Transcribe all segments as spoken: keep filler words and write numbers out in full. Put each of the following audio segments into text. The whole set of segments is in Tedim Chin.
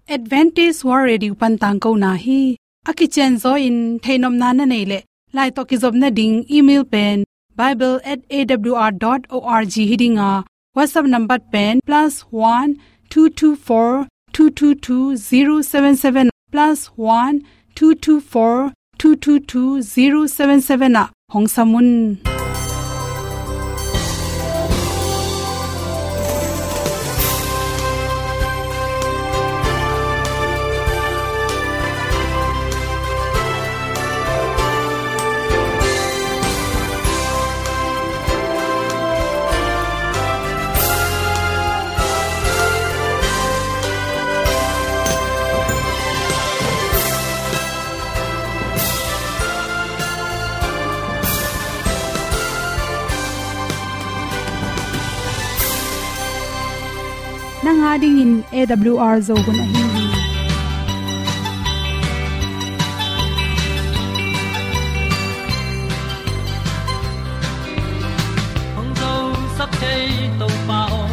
Adventist World Radio pan tangkona hi. A kicianzaw in theihnopna na neih leh, lai tawh kizopna ding email pen bible at A W R dot org hi ding a, WhatsApp number pen plus one two two four two two two zero seven seven, plus one two two four two two two zero seven seven ah hong sam un. Nang a dingin A W R Zo hun ahi hi. Hong zosak thei Topa aw,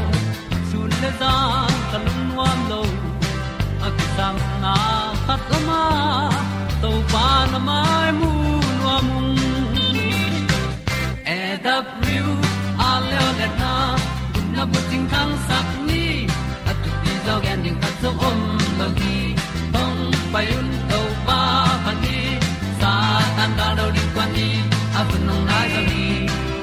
sun le zan ka lungnuam lo. A kisangna khat om a, Topa na mai mu nuam ung. A W R Zo hun a, gupna bucing thangsak ni. A thupi zaw gen ding khat zong om lo hi. Hong pai un Topa phat ni. Satan gal do ding kuan ni. A hun hong nai zaw hi.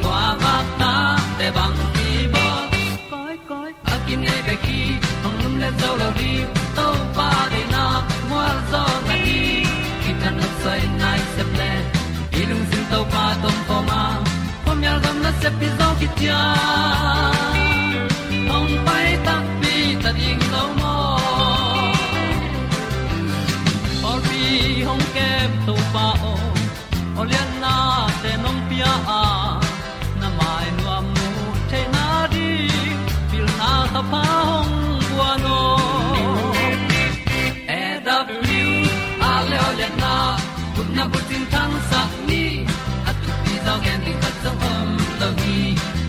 Kua vak ta te bang hi bawl. Koi, koi, a kinei bek hi, hong lumlet zo lo ding. Topa deihna mual zawhna ding, kithat nopsawina i sep leh, i lungsim Topa tawh om khawm a, khuamial gam nasep hi zaw khit ciang, hong pai takpi ta ding lo maw? Pawlpi hong kem Topa aw, aw liannate nong pia a, na mai nuam muh theihna ding, pilna thapha hong guan aw. A W R Zo hun a, gupna bucing thangsak ni. A thupi zaw gen ding khat zong om lo hi.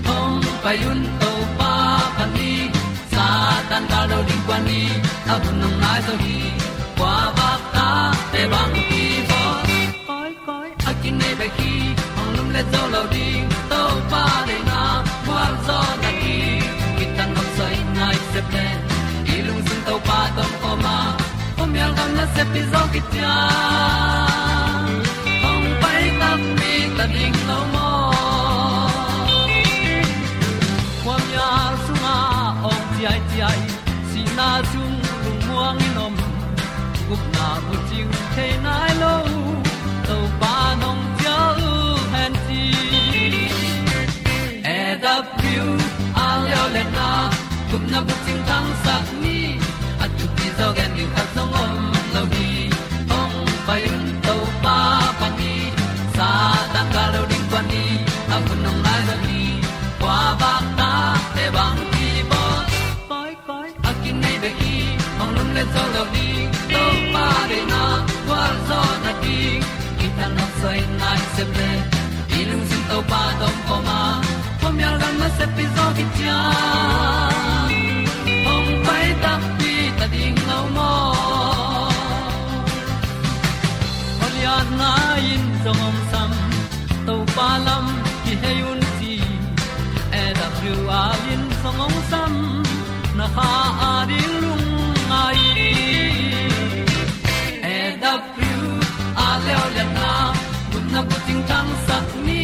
Hong pai un Topa phat ni. Satan gal do ding kuan ni. A hun hong nai zaw hi. Kua vak ta te bang hi bawl. Koi, koi, a kinei bek hi, hong lumlet zo lo ding. Topa deihna mual zawhna ding, kithat nopsawina i sep leh, i lungsim Topa tawh om khawm a, khuamial gam nasep hi zaw khit ciang, hong pai takpi ta ding lo maw? Khuamial sungah awng ciaiciai, sihna sung lungmuang in om, gupna bucing thei nai lo, Topa nong cial hen ci. A W R Zo hun a, gupna bucing thangsak ni. A thupi zaw gen ding khat zong om lo hi. Hong pai un Topa phat ni. Satan gal do ding kuan ni. A hun hong nai zaw hi. Kua vak ta te bang hi bawl. Koi, koi, a kinei bek hi, hong lumlet zo lo ding. Topa deihna gualzawhna ding, kithat nopsawina i sep leh, i lungsim Topa tawh om khawm a, khuamial gam nasep hi zaw khit ciang, hong pai takpi ta ding lo maw? Holiana in zong hong sam, Topa lam kihei un ci. A W R in zong hong sam, na kha a ding lungngai. A W R Zo hun a, gupna bucing thangsak ni.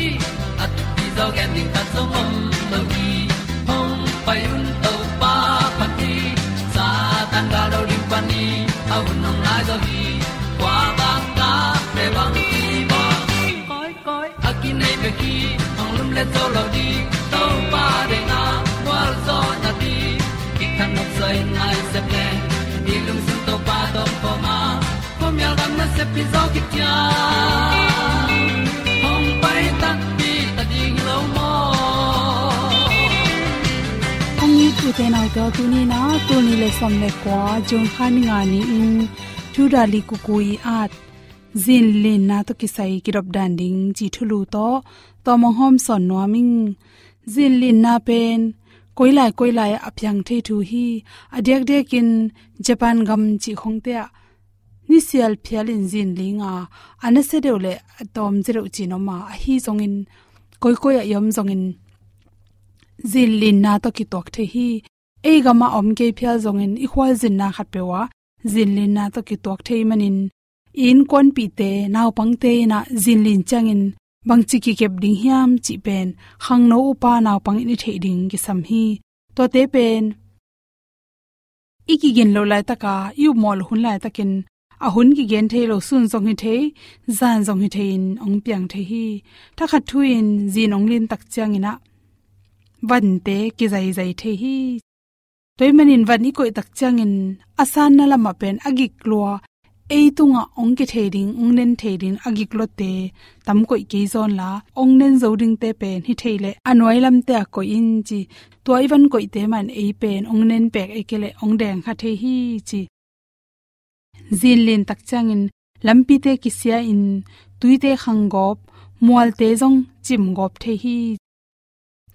A thupi zaw gen ding khat zong om lo hi. Hong pai un Topa phat ni. Satan gal do ding phat ni. A hun hong nai zaw hi. Kua vak ta te bang hi bawl. Koi, koi, a kinei bek hi, hong lumlet zo lo ding. Topa deihna gualzawhna ding, kithat nopsawina i sep leh, i lungsim Topa tawh om khawm a, khuamial gam nasep hi zaw khit ciang, hong pai takpi ta ding lo maw? Kong it u te nau te aw, tuni-in a tul nih le sawm le kua, June kha ni nga ni-in, Thu Dali Kuku i at zinlinna tawh kisai kidop dan ding ci thulu tawh tawm hong hawmsawn nuam ing. Zinlinna pen koilai koilai a piang thei thu hi. A diakdiakin Japan gam cih khongte ah nisial phialin zin ling a, a nasia deuh le a tawmzia deuh cih om a, ahi zongin koikoi ah i om zongin zin linna tawh kituak thei hi. Ei gam ah om kei phial zongin i khualzinna khatpeuh ah zin linna tawh kituak thei manin i innkuanpihte, naupangte in ah zin lin ciangin bangci kikep ding hiam cih pen khangno upa naupang in i theih ding kisam hi. Tuate pen i kigin loh laitak a, i upmawh loh hun laitakin a hun kigen thei lo, sun zong hi thei, zan zong hi thei in hong piang thei hi. Thakhat thu-in zin hong lin tak ciangin ah vante kizaizai thei hi. Tua ahih manin van i koih tak ciangin a sanna lamah pen a gik lua, ei tungah hong kithei ding, hong nen thei ding a gik luate tam koih kei zaw inla, hong nen zo dingte pen hi thei leh a nuai lamte ah koih in ci. Tua i van koihte mah in ei pen hong nen pek, ei kei leh hong deng kha thei hi ci. Zin lin tak ciangin lampite kisia in, tuite khang gawp, mualte zong cim gawp thei hi.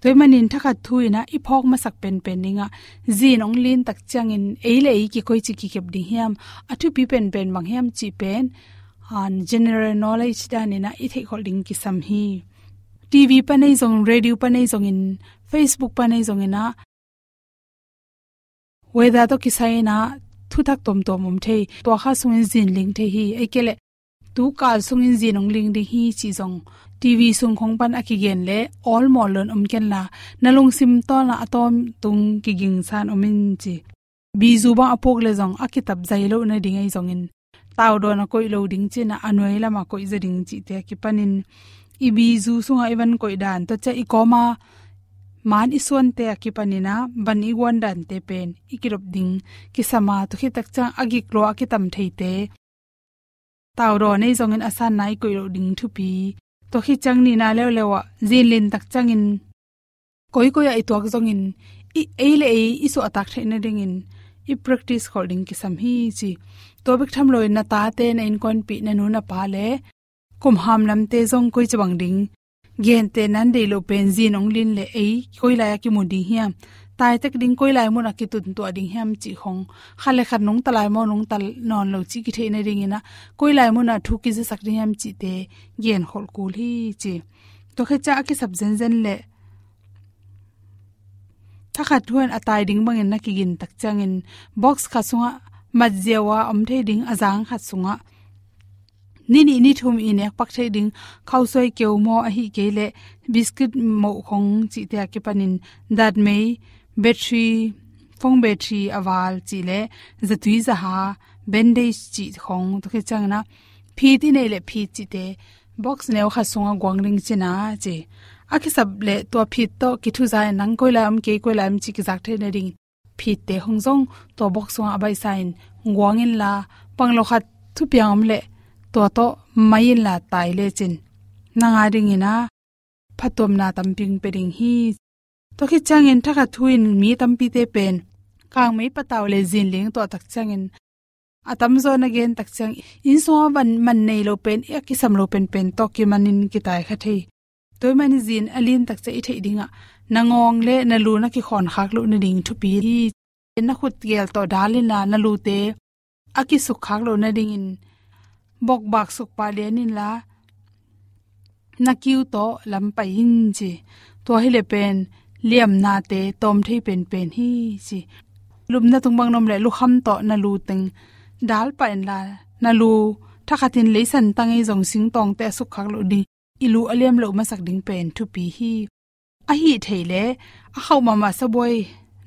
Tua ahih manin thakhat thu-in ah i phawk masak penpen ding ah, zin hong lin tak ciangin ei le ei kikoici kikep ding hiam, a thupi penpen bang hiam cih pen, ah, general knowledge danin ah i theihkholh ding kisam hi. T V pan ahi zong, radio pan ahi zongin, Facebook pan ahi zongin ah, weather tawh kisai-in ah thuthak tuamtuam om thei. Tua kha sungin zin ling thei hi. Ei kei leh tu kal sungin zin hong ling ding hi cih zong T V sung khong pan a kigen leh awlmawh lo-in om kenla, na lungsim tawh na a tawntung kigingsa-in om in ci. Bizu bang a puk leh zong a kitap zai loh nading ahi zongin, taudawn a koih lo ding ci-in ah a nuai lamah koih zaw ding cihte a kipanin, i bizu sungah i van koih dan, tua ciang i kawma man i suante a kipanin ah van i guan dante pen i kidop ding kisam a, tua khit tak ciang a gik lua a kitam theite taudawn ahi zongin a sanna i koih loh ding thupi. Tua khit ciang nihna leuleu ah zin lin tak ciangin koikoi ah i tuak zongin, i, ei le ei i suahtak theih nadingin i practice kholh ding kisam hi ci. Tua bek tham loin na tate, na innkuanpih, na nu na pa le kum hamlamte zong koici bang ding, gentehna in deih loh pen zin hong lin leh ei koilai ah kimu ding hiam, taitek ding koilai munah kituntuah ding hiam cih khong, khat le khat nungta lai maw, nungta nawn lo cih kitheih nadingin ah koilai munah thu kizasak ding hiam cihte genkholh kul hi ci. Tua khit ciang a kisap zenzen leh thakhat thu-in a tai ding bangin na kigin tak ciangin box khat sungah mat ziau a om thei ding, a zang khat sungah ni nih ni thum i nek pak thei ding khausuai keu maw, ahih kei leh biscuit moh khong cihte a kipanin datmei, battery, phone battery a val cih leh zatui zaha, bandage cih khong, tua khit ciangin ah phit i neih leh phit cihte box neu khat sungah guang ding ci-in ah ci. A kisap leh tua phit tawh kithuza-in nang koilai om kei, koilai om cih kizak theih nading phitte khong zong tua box sungah a baihsa-in guang inla, pang lo khat thupiang om leh tua tawh mai inla tai lecin nang a dingin ah phattuamna tampi hong pia ding hi. Tua khit ciangin thakhat thu-in mi tampite pen kangmei patau leh zin ling tuah tak ciangin, a tamzaw na gen tak ciang, inn sungah van man nei lo pen, a kisam lo penpen tawh kimanin kitai kha thei. Tua ahih manin zin a lin tak ciang i theih dingah na ngawng le na lu na kikhawn khak loh nading thupi hi. Na khut gel tawh dal inla, na lute a kisuk khak loh nadingin bokbak sukpah lian inla, na kiu tawh lam pai in ci. Tua hi leh pen liamnate tawm thei penpen hi ci. Lupna tung bang na om leh lukham tawh na lu teng dal pah inla, na lu thakhatin leisan tang ahi zong singtawngte a suk khak loh ding, i lu a liam loh masak ding pen thupi hi. Ahih theih leh a khauh mahmah sabuai,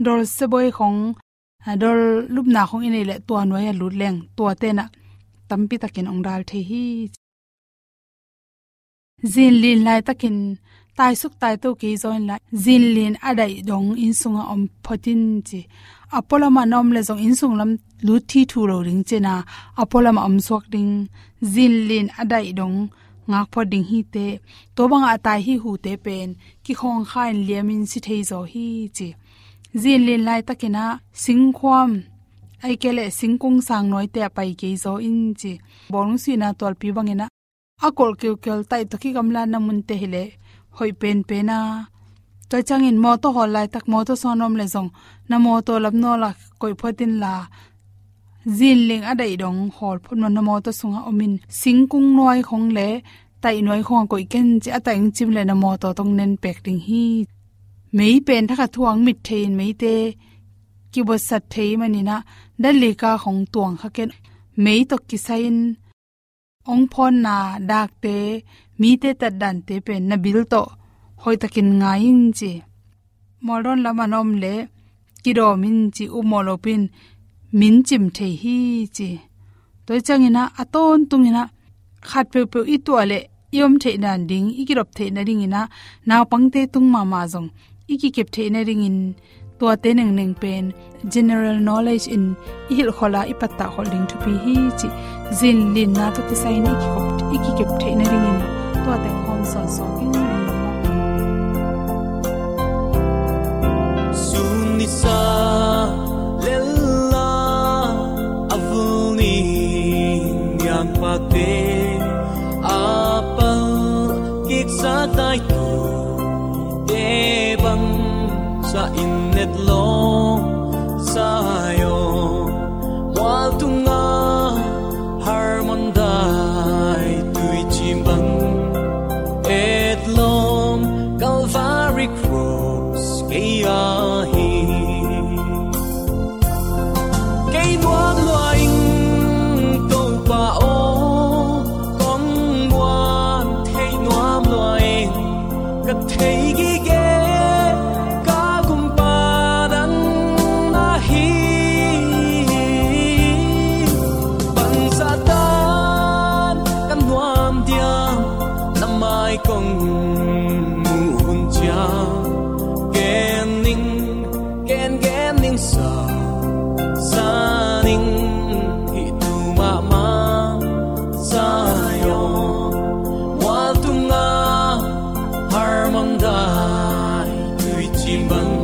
dol sabuai khong, a, dol lupna khong i neih leh tua nuai a lut leng tuate in ah tampi takin hong dal thei hi. Zin lin laitakin taisuk taito kei zaw inla, zin lin a daih dong inn sungah om phot in ci. A pualamah na om leh zong inn sung lam lut thithu lo ding ci-in ah, a pualamah om suak ding, zin lin a daih dong ngak phot ding hi teh. Tua bangah a tai hi hute pen kikhawng kha-in liamin si thei zaw hi ci. Zin lin laitakin ah singkhuam, ahih kei leh singkung sang nuaite ah pai kei zaw in ci. Bawlung sihna tualpi bangin ah a kolh kiukial taih tawh kigamlatna munte hi leh hoih penpen a, Tua ciangin mawtaw hawl laitak mawtaw sung a na om leh zong na mawtaw lamnawl ah koih phot inla, zinling a daih dong hawl phot maw, na mawtaw sungah om in, singkung nuai khawng leh taih nuai khawngah koih ken ci, a taih hong cim leh na mawtaw tawh hong nenpek ding hi. Mei pen thakhat thu-ah hong mit thei-in meite kibuatsat thei manin ah, dan lika khawng tuang kha ken, mei tawh kisai-in hong phawnna dakte, mite tatdante pen na bil tawh hoihtakin ngai in ci. Mualdawn lam a na om leh kidawm in ci, upmawh lopi-in min cim thei hi ci. Tua ciangin ah a tawntungin ah khat peuhpeuh i tuah leh i om theih nading, i kidop theih nadingin ah, naupangte tung mahmah zong i kikep theih nadingin, tuate nengneng pen general knowledge in i hilh khol a, i pattah khol ding thupi hi ci. Zinlinna tawh kisai-in i kikop, i kikep theih nadingin tuate hong hawm sawnsawn ing. Sun nisa lel a, a vul ni niangpakte a pal kiksa taitute bang sa in, etlawm Zion mual tungah Hermon dai tuicim bang, etlawm Calvary Cross kei ah hi. Kei nuam lua ing Topa aw, kong muan theih nuam lua ing, ka thei gige ka gumpa nang na hi. Bangzah tan ka nuam diam, na mai kong muh hun ciang, gen ning, gen gen ning sa, sa ning, hih thu mahmah Zion mual tungah Hermon dai tuicim bang,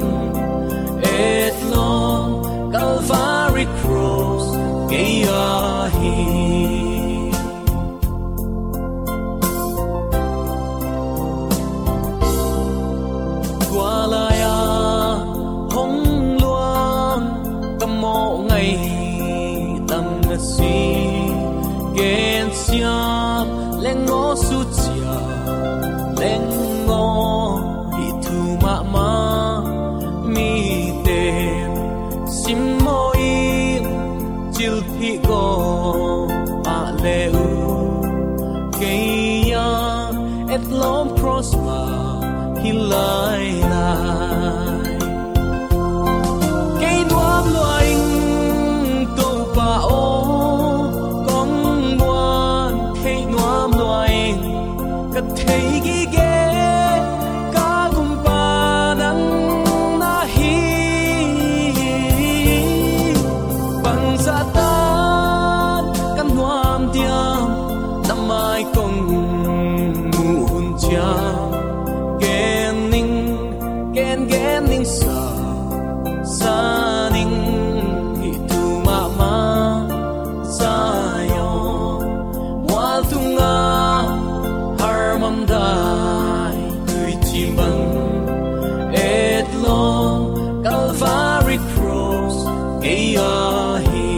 etlawm Calvary Cross kei ah hi. Tua lai-a hong luang ka mawh ngaih tam na si, gensiam leng aw, sutsiam leng aw, hih thu mahmah mite simmaw in, cilphih gawp mah le uh, kei ah etlawm cross mah hi lailai. Kei nuam lua ing Topa aw, kong muan theih nuam lua ing, ka thei gige ka gumpa nang na hi. Bangzah tan ka nuam diam, na mai kong muh hun ciang, gen ning, gen gen ning sa, sa ning, hih thu mahmah Zion mual tungah Hermon dai tuicim bang, etlawm Calvary Cross kei ah hi.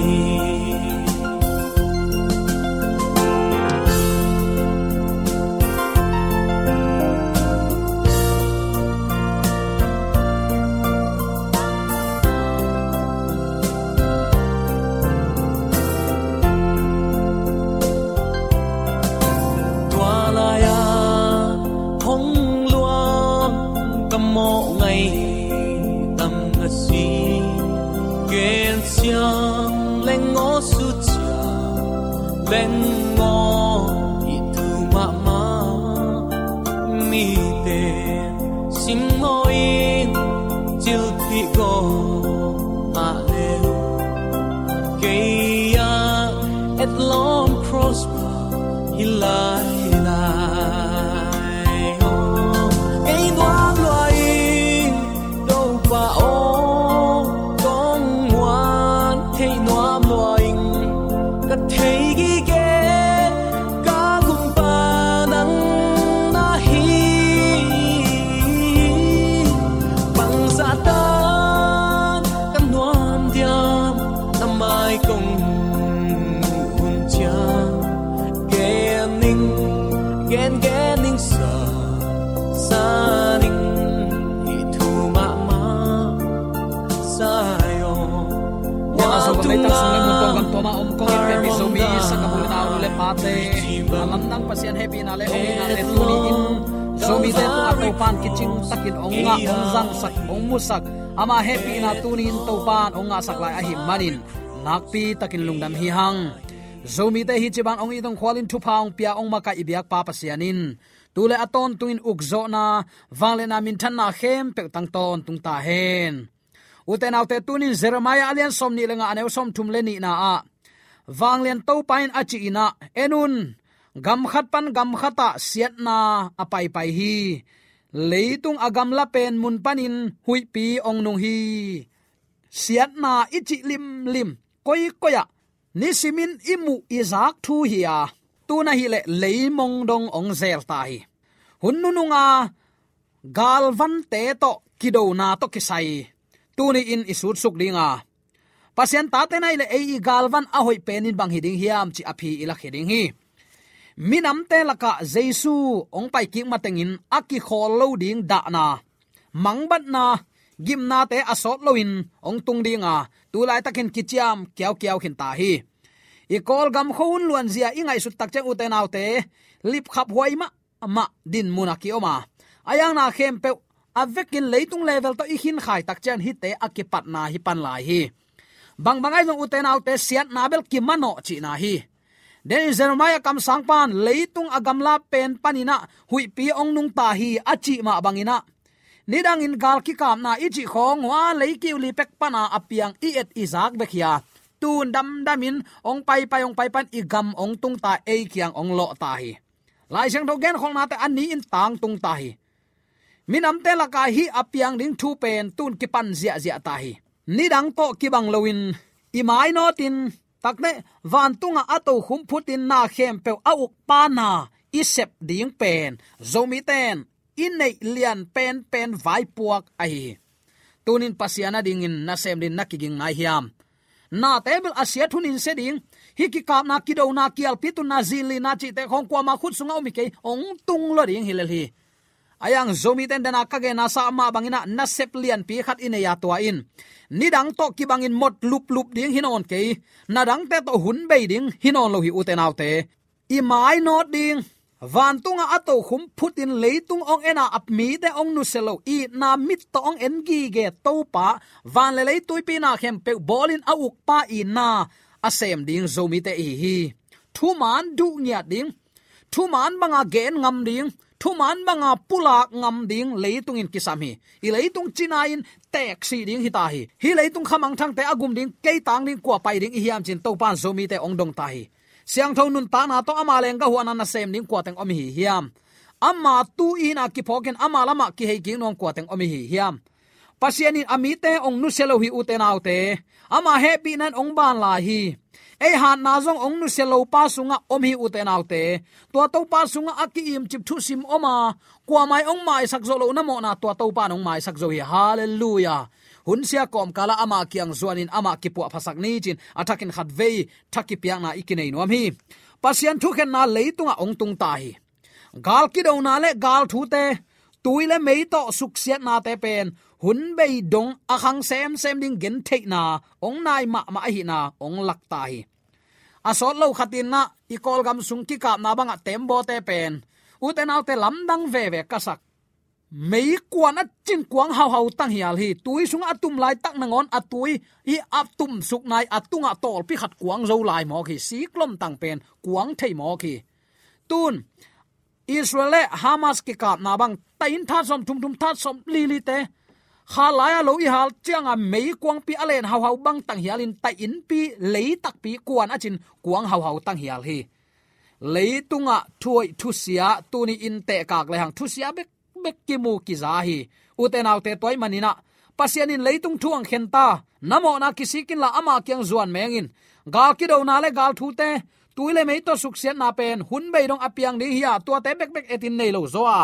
Tua lai-a hong luang ka mawh ngaih tam na si, gensiam leng aw, sutsiam leng aw, hih thu mahmah mite simmaw in, cilphih gawp mah le uh, kei ah etlawm cross mah hi lailai. Kei nuam lua ing Topa aw, kong muan theih nuam lua ing, ka thei gige ka gumpa nang na hi. Mah om kong in pemi Zomi sanggamnu le pate, a lamdang Pasian hehpihna le hong itna te tuni in Zomite tungah Topa'n kicing takin hong ngah, hong zangsak, hong musak, ama hehpihna tuni in Topa'n hong ngahsak lai ahih manin nakpi takin lungdam hi hang. Zomite hi ci bang hong it hong khual in thupha hong pia hong makaih i biakpa Pasian in tu le a tawntungin ukzawhna, vangliatna, minthanna khempeuh tang tawntung ta hen. Ute naute, tunin Jeremiah a lian sawmnih le nga, a neu sawmthum le nihna ah, Vanglian Topa in a cih in ah, en un, gam khat pan gam khat ah siatna a paipai hi. Leitung a gamla pen mun panin huihpi hong nung hi. Siatna i cih limlim, koikoi ah nisimin i muh i zak thu hi a, tu-in ahih leh leimong dong hong zel ta hi. Hun nunung a galvante tawh kidona tawh kisai tuni in i sutsuk ding a, Pasian tate in ahih leh ei i galvan a hoih pen in bang hi ding hiam cih a phi i lak hi ding hi. Minamte lakah Jesu hong paikik matengin a kikhawl lo ding dahna, mangbatna, gimnate a sawt loin hong tung ding a, tu laitakin kiciam kiaukiau khin ta hi. I Kawlgam khuahun luanzia i ngaihsut tak ciang, ute naute, lipkhap huai mahmah dinmun a ki-om a, a iangna khempeuh a vekin leitung level tawh i khinkhai tak ciang hihte a kipatna hi pan lai hi. Bangbang ahi zong, ute naute, siatna bel kimanawh cihna hi. Denin Jeremiah kamsang pan leitung a gamla pen panin ah huihpi hong nung ta hi a cih mah bangin ah, nidangin gal kikapna i cih khawng hua lei kiu li pek pana a piang i et i zak bek hi a, tu-in damdamin hong paipai, hong paipai in i gam hong tung ta, ei kiang hong lawh ta hi. Lai Siangtho genkholhnate a ni-in tangtung ta hi. Minamte lakah hih a piang ding thu pen tu-in kipan ziahziah ta hi. Nidang tawh kibang loin i mainawtin, tak teh vantungah a tokhom phutin na khempeuh a ukpa na i sep ding pen Zomite in i neih lian penpen vaipuak ahi hi. Tunin Pasian adingin nasem dingin na kiging nai hiam? Nate bel a siat hun in sia ding, hih kikapna, kidona, kialpi tunna, zinlinna cihte khawng kuama khut sungah om hi kei, hong tung lua ding hi lel hi. A iang Zomite in, dena ka genna sa mah bangin ah, nasep lianpi khat i nei a, tua in nidang tawh kibangin mot luplup ding hi nawn kei, nadangte tawh hun bei ding hi nawn lo hi, ute naute. I mainawt ding, vantungah a tokhom phutin leitung hong en a, a mite hong nusia lo, itna mit tawh hong en gige Topa, van le lei tuipi na khempeuh bawlin a ukpa itna a sem ding Zomite i hi hi. Thuman duh ngiat ding, thuman banga gen ngam ding, thuman banga pulak ngam ding leitung in kisam hi. I leitung cina in teeksih ding hi ta hi. Hih leitung khamangthangte a gum ding, kei tang ding, kua pai ding i hiam cin Topa in Zomite hong dong ta hi. Siangtho nuntakna tawh ama leenggah huahna nasem ding kua teng om i hi hiam? Ama tu i hihna kiphawkin ama lamah kihei kik nuam kua teng om i hi hiam? Pasian in a mite hong nusia lo hi, ute naute. Ama hehpihna in hong ban lai hi. Ei hatna zong hong nusia lopa sungah om hi, ute naute. Tua Topa sungah a ki-imcip thusim om a, kuamah in hong maisak zo lo, na mawhna tua Topa in hong maisak zo hi. Halleluiah. Hun sia kawmkalah ama kiang zuanin amah kipuahphasak ni cin a thakin khatvei tha kipiakna i kinei nuam hi. Pasian thukhenna leitungah hong tung ta hi. Gal kidona le gal thute, tui le mei tawh suksiatnate pen hun bei dong a khang semsem ding gentheihna hong nai mahmah ahihna hong lak ta hi. A sawt lo khat in ah, i Kawlgam sung kikapna bangah tembawte pen, ute naute, lamdang veve ka sak. Meikuan a cin kuang hauhau tanghial hi. Tui sungah a tum laitak nangawn a tui i a tumsuk nai a tungah tawlpi khat kuang zo lai mawk hi. Siklom tang pen kuang thei mawk hi. Tun Israel le Hamas kikapna bang, taih in that sawm thum thum, that sawm li lite kha lai-a lo i hal cianga meikuangpi a len hauhau bang tanghialin taih innpi, lei takpi kuan a cin kuang hauhau tanghial hi. Leitungah thuhoih thusia tuni in tehkak lehang thusia bekbek kimu kiza hi. Ute naute, tua ahih manin ah Pasian in leitung thu hong khen ta. Na mawhna kisik inla ama kiang zuan meng in. Gal kidona le gal thute, tui le mei tawh suksiatna pen hun bei dong a piang ding hi a, tuate bekbek etin nei lo zaw a,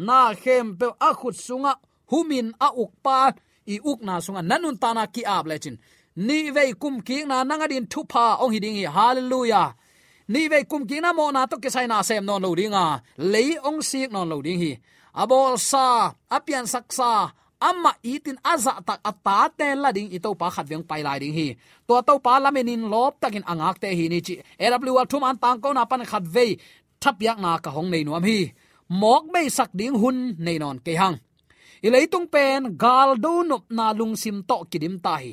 na khempeuh a khut sungah humin a ukpa i ukna sungah na nuntakna ki-ap lecin, nihvei kumkikna nang adin thupha hong hi ding hi. Halleluiah. Nihvei kumkikna mawhna tawh kisai na sem nawn lo ding a, lei hong sik nawn lo ding hi. A bawlsa, a piansaksa, amah itin a zahtak a tate la ding i Topa khatvei hong pai lai ding hi. Tua Topa lamenin lawptakin a ngakte hi ni cih A W R thuman tangkona pan khatvei thapiakna ka hong nei nuam hi. Mawk beisak ding hun nei nawn kei hang. I leitung pen galdo nopna lungsim tawh kidim ta hi.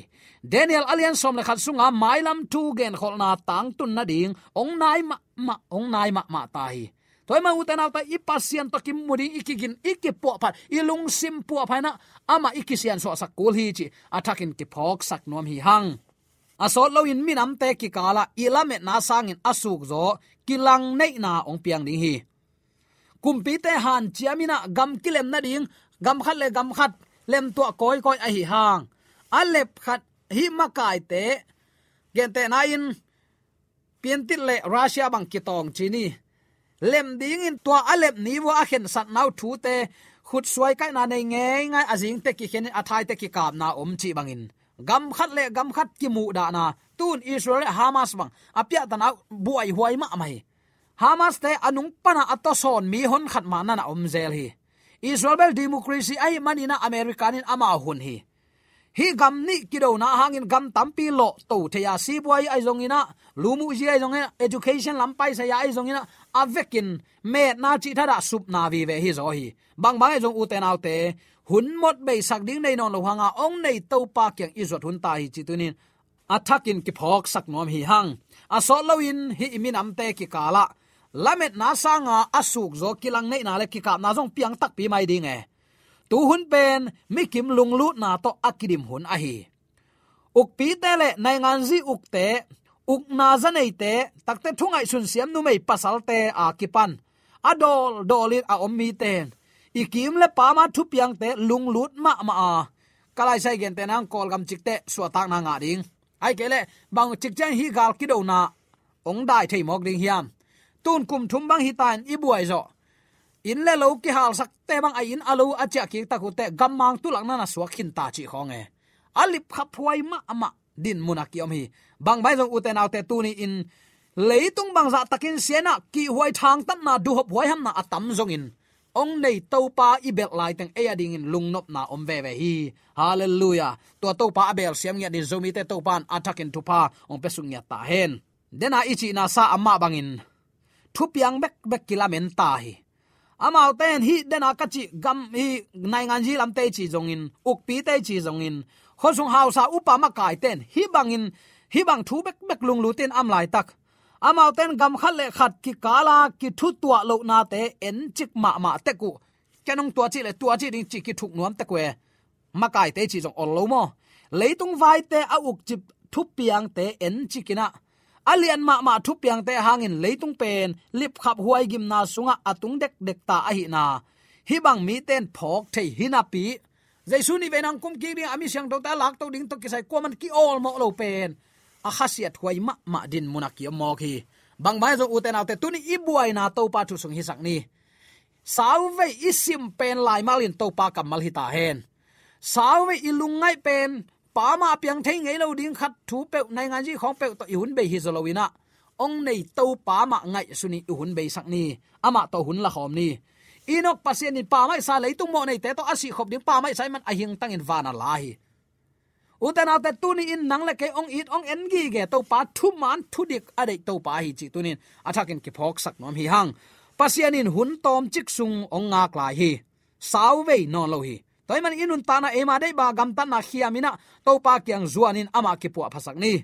Daniel a lian sawm le khat sunga mailam thu genkholhna tangtun nading hong nai mahmah, hong nai mahmah ta hi. Tua ahih manin ute naute, i Pasian tawh kimu ding, i kigin, i kipuahphat, i lungsim puahphat inah amah i kisiansuahsak kul hi cih a thakin kiphawksak nuam hi hang. A sawt loin minamte kikalah i lametna sangin a sukzaw kilangneihna hong piang ding hi. Kumpite hanciam inah gam kilem nading, gam khat le gam khat lemtuah kawikawi ahi hang, a lep khat hih makaite, gentehna in Piantit le Russia bang kitawng ci ni. Lem dingin tua a lep ni vua a khensatna uh thute, khutsuai kaihna nei ngeingai, a zingte kikhenin a thaite kikapna om cih bangin gam khat le gam khat kimuhdahna, tun Israel le Hamas bang a piahtana uh buaihuai mahmah hi. Hamas te a nung pana a tawsawn mi hon khat mah nana om zel hi. Israel bel democracy ahih maninah American in amau hun hi. Hih gam nih kidona hangin gam tampi lawhto thei a, sibuai ahi zonginah, lumuhzi ahi zonginah, education lam paisai ahi zonginah, a vekin metna cih thadah supna vive hi zaw hi. Bangbang ahi zong ute naute, hun mawk beisak ding nei nawn lo hanga hong nei Topa kiang i zuat hun ta hi cih tunin a thakin kiphawksak nuam hi hang. A sawt loin hih i minamte kikalah lametna sanga a sukzaw kilangneihna le kikapna zong piang takpi mai ding e. Tuhun pen mikim lunglutna tawh a kidim hun ahi. Ukpite le nainganzi ukte, ukna zaneite, takte thungaihsun siam numei pasalte a kipan a dawldawlin a om mite, i kim le pama thupiangte lunglut mahmah a, ka laisai gente nang Kawlgam cikte suahtakna ngah ding. Ahih kei leh bang cikciang hih gal kidona hong dai thei mawk ding hiam? Tun kum thum bang hita in i buai zawh, inn le lo kihalsakte bang a inn a lo a ciah kik tak uh teh gammang tulak nana suak khin ta cih khawng e. A lipkhaphuai mahmah dinmun a kiom hi. Bangbang ahi zong ute naute, tuni in leitung bangzah takin sianah kihhuai thangtatna, duhhop huaihamna a tam zongin hong nei Topa i belh laiteng ei a dingin lungnopna om veve hi. Halleluiah. Tua Topa a belsiam ngiat in Zomite Topa in a thakin thupha hong piasuk ngiat ta hen. Dena i cihna sa amah bangin thupiang bekbek kilamen ta hi. Amaute in hih dena ka cih gam, hih nainganzi lamte i cih zongin, ukpite i cih zongin, khuasung hausa upa makaite in hih bangin, hih bang thu bekbek lunglutin a om laitak, amaute in gam khat le khat kikala kithutuah lohnate encik mahmah tek uh. Ken hong tua cih le tua cih ding cih kithuk nuam tek uh e. Makaite cih zong ol lo maw? Leitung vaite a ukcip thupiangte encikinah, a lian mahmah thupiangte hangin leitung pen lipkhap huaigimna sungah a tung dekdek ta ahihna hih bang mite in phawk thei hi napi, Jesu nih vei nang kum kik ding a mi siangthote a lakto ding tawh kisai kuaman ki-awlmawh lo pen a khasiat huai mahmah dinmun a kiom mawk hi. Bangbang ahi zong ute naute, tuni i buaina Topa thu sung hisak ni. Sauvei i sim pen laimal in Topa kammal hi ta hen. Sauvei i lungngaih pen pamah a piang thei ngei lo ding khat thu peuh, nainganzi khawng peuh tawh i hun bei hi zaw loinah, hong nei Topa mah ngaihsun in i hun beisak ni. Amah tawh hun lakhawm ni. Enok Pasian in pamah i sa, leitung mawhneite tawh a sihkhop ding pamah i sa ahih man a hingtangin van a la hi. Ute naute, tuni in nang le kei hong it hong en gige Topa, thuman thudik a deih Topa hi cih tunin a thakin kiphawksak nuam hi hang. Pasian in hun tawmcik sung hong ngak lai hi. Sauvei nawn lo hi. Tua ahih man i nuntakna eima deih bang gamtatna khiaminah Topa kiang zuanin amah kipuahphasak ni.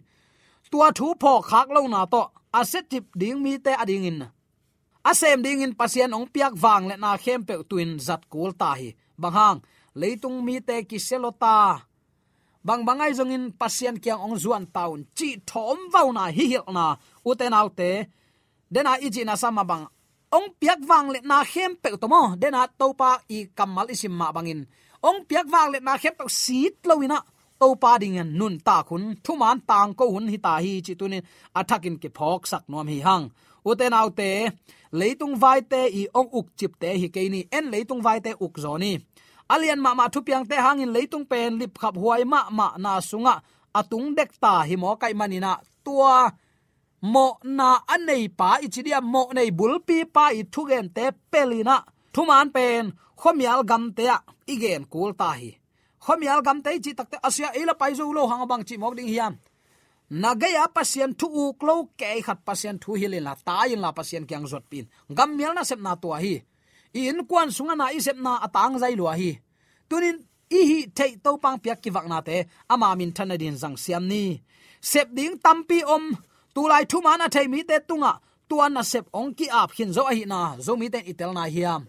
Tua thu phawkkhak lohna tawh a siacip ding mite a dingin, a sem dingin Pasian hong piak vangliatna khempeuh tuin zat kul ta hi. Bang hang? Leitung mite kisia lo ta. Bangbang ahi zongin Pasian kiang hong zuan ta un cih thawmvauna, hihilhna, ute naute, dena i cihna sa mah bang, hong piak vangliatna khempeuh tawh maw, dena Topa i kammal i sim mah bangin, hong piak vangliatna khempeuh sit loinah Topa dingin nuntak hun, thuman tangko hun hi ta hi cih tunin a thakin kiphawksak nuam hi hang. Ute naute, leitung vaite i hong ukcipte hi kei ni. En, leitung vaite uk zaw ni. A lian mahmah thupiangte hangin leitung pen lipkhap huai mahmahna sungah a tung dek ta hi mawk ahih maninah, tua mawhna a neipa i ci dia, mawhnei bulpipa i thugente pelinah thuman pen khuamial gamte ah i gen kul ta hi. khuamial gamte i cih takte a sia ei la pai zo lo hang a bang cih mawk ding hiam? Na gei-a Pasian thu uk lo kei khat Pasian thu hilh inla, tai inla Pasian kiang zuatpih in. Gammial nasepna tua hi. I innkuan sungah na i sepna a tangzai lua hi. Tunin i hih theih Topa hong piak kivaknate ama minthan nadingin zangsiam ni. Sep ding tampi om. Tulai thuman a thei mite tungah tua nasep hong ki-ap khin zo ahihna Zomite in i telna hiam?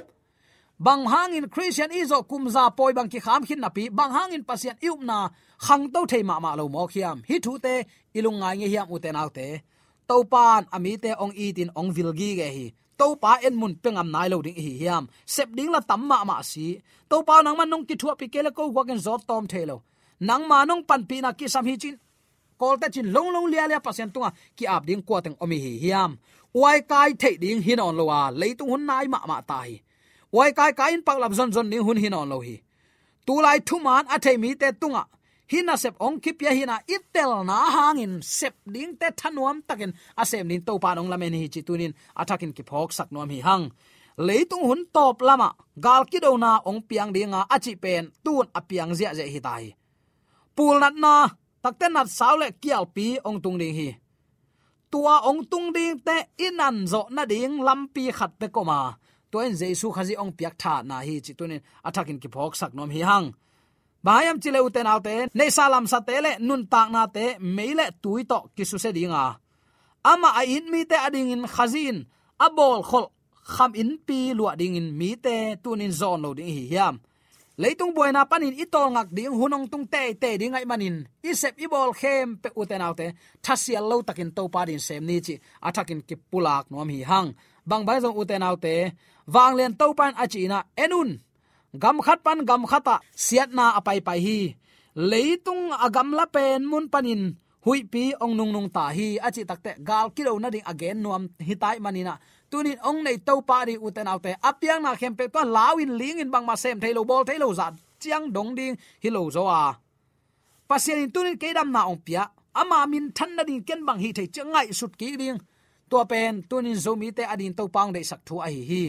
Bang hangin Khristian i zawh kum za pawi bang kikham khin napi, bang hangin Pasian i upna khangto thei mahmah lo mawk hiam? Hih thute i lungngai ngei hiam, ute naute? Topa in a mite hong itin hong vil gige hi. Topa en mun pia ngam nai lo ding i hi hiam? Sep ding la tam mahmah si. Topa aw, nangman nong kithuahpih kei le ko guakin zawt tawm thei lo. Nangma nong panpihna kisam hi cin, kawlte cin longlong lialia Pasian tungah ki-ap ding kua teng om i hi hiam? Uaikai theih ding hi nawn lo a, leitung hun nai mahmah ta hi. Uaikai kai in paklap zonzon ding hun hi nawn lo hi. Tulai thuman a thei mite tungah hih nasep hong kipia hihna i telna hangin sep dingte thanuam takin a sem ding Topa in hong lamen hi cih tunin a thakin kiphawksak nuam hi hang. Leitung hun tawp lamah gal kidona hong piang dinga a cih pen tun a piang ziahziah hi ta hi. Pulnatna takte natsau le kialpi hong tung ding hi. Tua hong tung dingte i nan zawh nading lampi khat bek om a, tua in Jesu Khazih hong piak thahatna hi cih tunin a thakin kiphawksak nuam hi hang. Bang hiam cih leh, ute naute, neihsa lamsate le nuntaknate mei le tui tawh kisusia dinga, amah a it mite adingin Khazih in a bawlkholh kham innpi luah dingin mite tunin zawn lo ding i hi hiam? Leitung buaina panin i tawlngak ding hun hong tung teitei ding ahih manin i sep i bawl khempeuh, ute naute, thasial lo takin Topa adingin sem ni cih a thakin kipulak nuam hi hang. Bangbang zong, ute naute, Vanglian Topa in a cihna en un. Gam khat pan gam khatah siatna a paipai hi. Leitung a gamla pen mun panin huihpi hong nungnung ta hi, a cih takte gal kido nading a gen nuam hi ta ahih manin ah, tunin hong nei Topa ading, ute naute, a piakna khempeuh tua lau in, ling in, bangmah sem thei lo, bawl thei lo zah ciang dong ding hi lo zaw a, Pasian in tunin kei damna hong pia, ama minthan nading ken bang hih thei ciang ngaihsut kik ding. Tua pen tunin Zomite ading Topa hong deihsak thu ahi hi.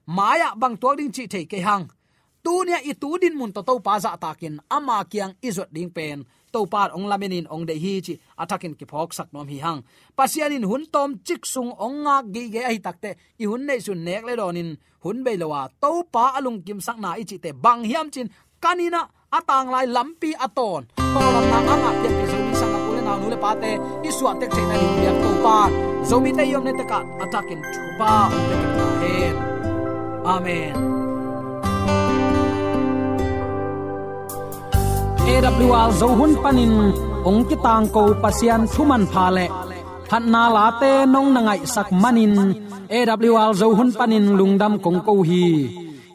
Mai-ah bang tuak ding cih thei kei hang. Tuni-ah i tu dinmun tawh Topa zahtakin ama kiang i zuat ding pen Topa hong lamenin hong deih hi cih a thakin kiphawksak nuam hi hang. Pasian in hun tawmcik sung hong ngak gige ahi takte, i hun neihsun nek le dawnin hun bei lo a, Topa a lungkimsakna i cihte bang hiam cin, kanin ah a tanglai lampi a tawn, tawldamna a ngah pianpih Zomi sanggampu le nau, nu le pate i suahtek theihna ding biak Topa, Zomite i omna tekah a thakin thupha hong pia kik ta hen. Amen. A W R Zo hun panin hong kitangko Pasian thu manpha le phatna late nong na ngaihsak manin A W R Zo hun panin lungdam kong ko hi.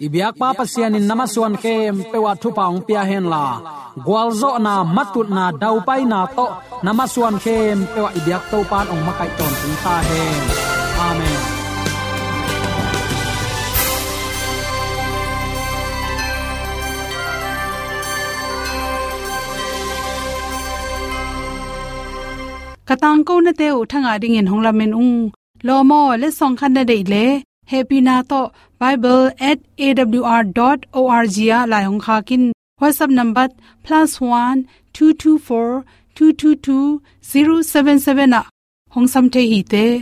I biakpa Pasian in na masuan khempeuh ah thupha hong pia henla, gualzawhna, matutna, daupaina tawh na masuan khempeuh ah i biak Topa in hong makaih tawntung ta hen. Amen. Ka tangkonate uh thangah dingin hong lamen ung. Lawm aw, letsong khat na deih leh hehpihna tawh bible at A W R dot O R G ah lai hong khak in. WhatsApp number plus one two two four two two two zero seven seven ah hong sam thei hi te.